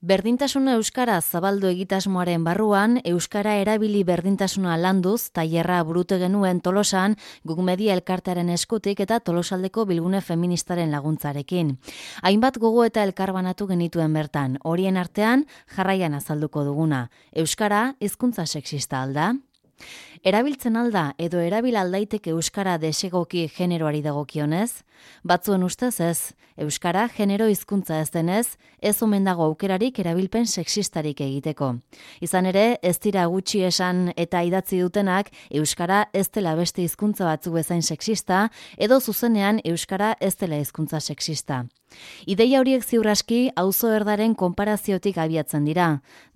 Berdintasuna euskara zabaldu egitasmoaren barruan, euskara erabili berdintasuna landuz, tailerra burute genuen Tolosan, Guk Media elkartearen eskutik eta Tolosaldeko bilgune feministaren laguntzarekin. Hainbat gogo eta elkarbanatu genituen bertan, horien artean jarraian azalduko duguna. Euskara hizkuntza sexista alda? Erabiltzen alda edo erabil aldaiteke euskara desegoki generoari dagokionez? Batzuen ustez ez, euskara genero hizkuntza ez denez, ez omen dago aukerarik erabilpen sexistarik egiteko. Izan ere, ez dira gutxi esan eta idatzi dutenak euskara ez dela beste hizkuntza batzuk bezain sexista edo zuzenean euskara ez dela hizkuntza sexista. Ideia horiek ziur aski auzo erdaren konparaziotik abiatzen dira.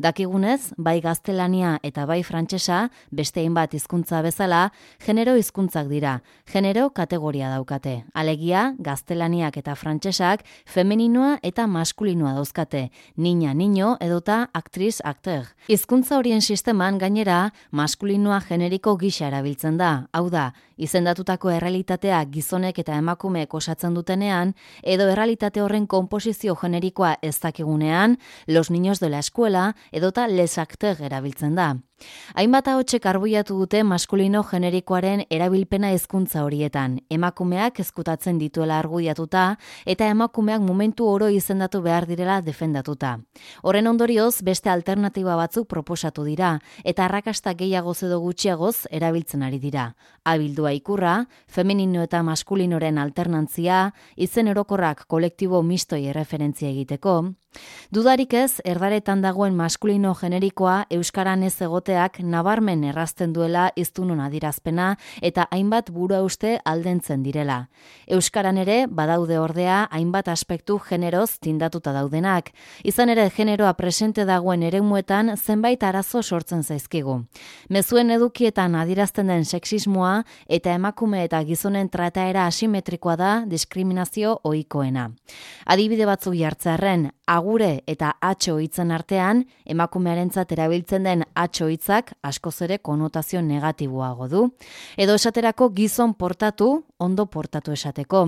Dakigunez, bai gaztelania eta bai frantsesa, beste hainbat hizkuntza bezala, genero hizkuntzak dira. Genero kategoria daukate. Alegia, gaztelaniak eta frantsesak femeninoa eta maskulinoa dauzkate. Niña, niño edota actriz, acteur. Hizkuntza horien sisteman gainera, maskulinoa generiko gisa erabiltzen da. Hau da, izendatutako errealitatea gizonek eta emakumeek osatzen dutenean, edo errealitate horren konposizio generikoa ez dakigunean, los niños de la escuela edota les acteurs erabiltzen da. Hainbat ahotsek arbuiatu dute maskulino generikoaren erabilpena hizkuntza horietan, emakumeak ezkutatzen dituela argudiatuta eta emakumeak momentu oro izendatu behar direla defendatuta. Horren ondorioz beste alternatiba batzuk proposatu dira eta arrakasta gehiagoz edo gutxiagoz erabiltzen ari dira. Abildua ikurra, femenino eta maskulinoren alternantzia, izen orokorrak kolektibo mistoi erreferentzia egiteko. Dudarik ez, erdaretan dagoen maskulino generikoa euskaran ez egoteak nabarmen errazten duela hiztunon adierazpena eta hainbat buruhauste aldentzen direla. Euskaran ere badaude ordea hainbat aspektu generoz tindatuta daudenak. Izan ere generoa presente dagoen eremuetan zenbait arazo sortzen zaizkigu. Mezuen edukietan adierazten den sexismoa eta emakume eta gizonen trataera asimetrikoa da diskriminazio ohikoena. Adibide batzuk jartzearren, agure eta atxo hitzen artean, emakumearentzat erabiltzen den atxo hitzak askoz ere konotazio negatiboago du. Edo esaterako gizon portatu, ondo portatu esateko.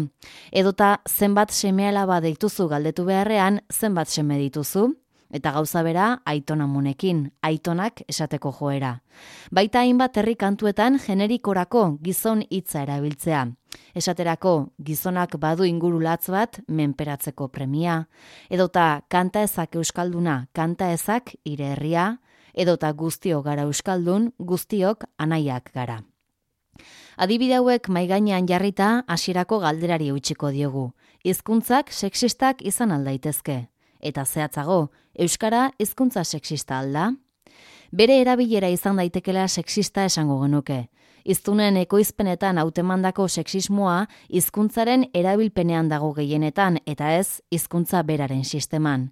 Edota zenbat seme-alaba dituzu galdetu beharrean, zenbat seme dituzu? Eta gauza bera, aitonamunekin, aitonak esateko joera. Baita hainbat herri kantuetan generikorako gizon hitza erabiltzea. Esaterako, gizonak badu inguru latz bat menperatzeko premia. Edota, kanta ezak euskalduna, kanta ezak hire herria. Edota guztiok gara euskaldun, guztiok anaiak gara. Adibide hauek mahai gainean jarrita hasierako galderari utziko diogu. Hizkuntzak sexistak izan aldaitezke. Eta zehatzago, euskara hizkuntza sexista alda? Bere erabilera izan daitekela sexista esango genuke. Hiztunen ekoizpenetan hautemandako sexismoa hizkuntzaren erabilpenean dago gehienetan eta ez hizkuntza beraren sisteman.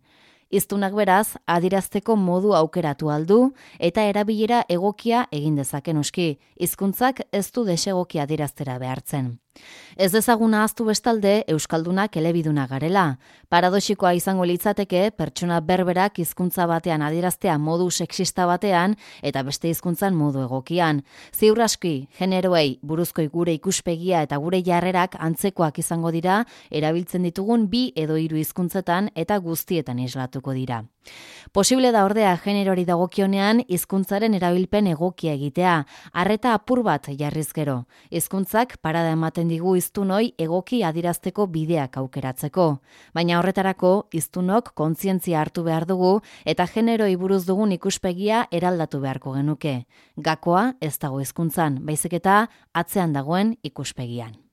Hiztunak beraz, adierazteko modu aukeratu aldu eta erabilera egokia egin dezake noski. Hizkuntzak ez du desegokia adieraztera behartzen. Ez dezaguna ahaztu bestalde euskaldunak elebiduna garela. Paradoxikoa izango litzateke pertsona berberak hizkuntza batean adieraztea modu sexista batean eta beste hizkuntzan modu egokian. Ziur aski, generoei buruzko gure ikuspegia eta gure jarrerak antzekoak izango dira erabiltzen ditugun 2 edo 3 hizkuntzetan eta guztietan islatuko dira. Posible da ordea generori dagokionean hizkuntzaren erabilpen egokia egitea, arreta apur bat jarriz gero. Hizkuntzak parada ematen digu hiztunoi egoki adierazteko bideak aukeratzeko. Baina horretarako hiztunok kontzientzia hartu behar dugu eta generoi buruz dugun ikuspegia eraldatu beharko genuke. Gakoa ez dago hizkuntzan, baizik eta atzean dagoen ikuspegian.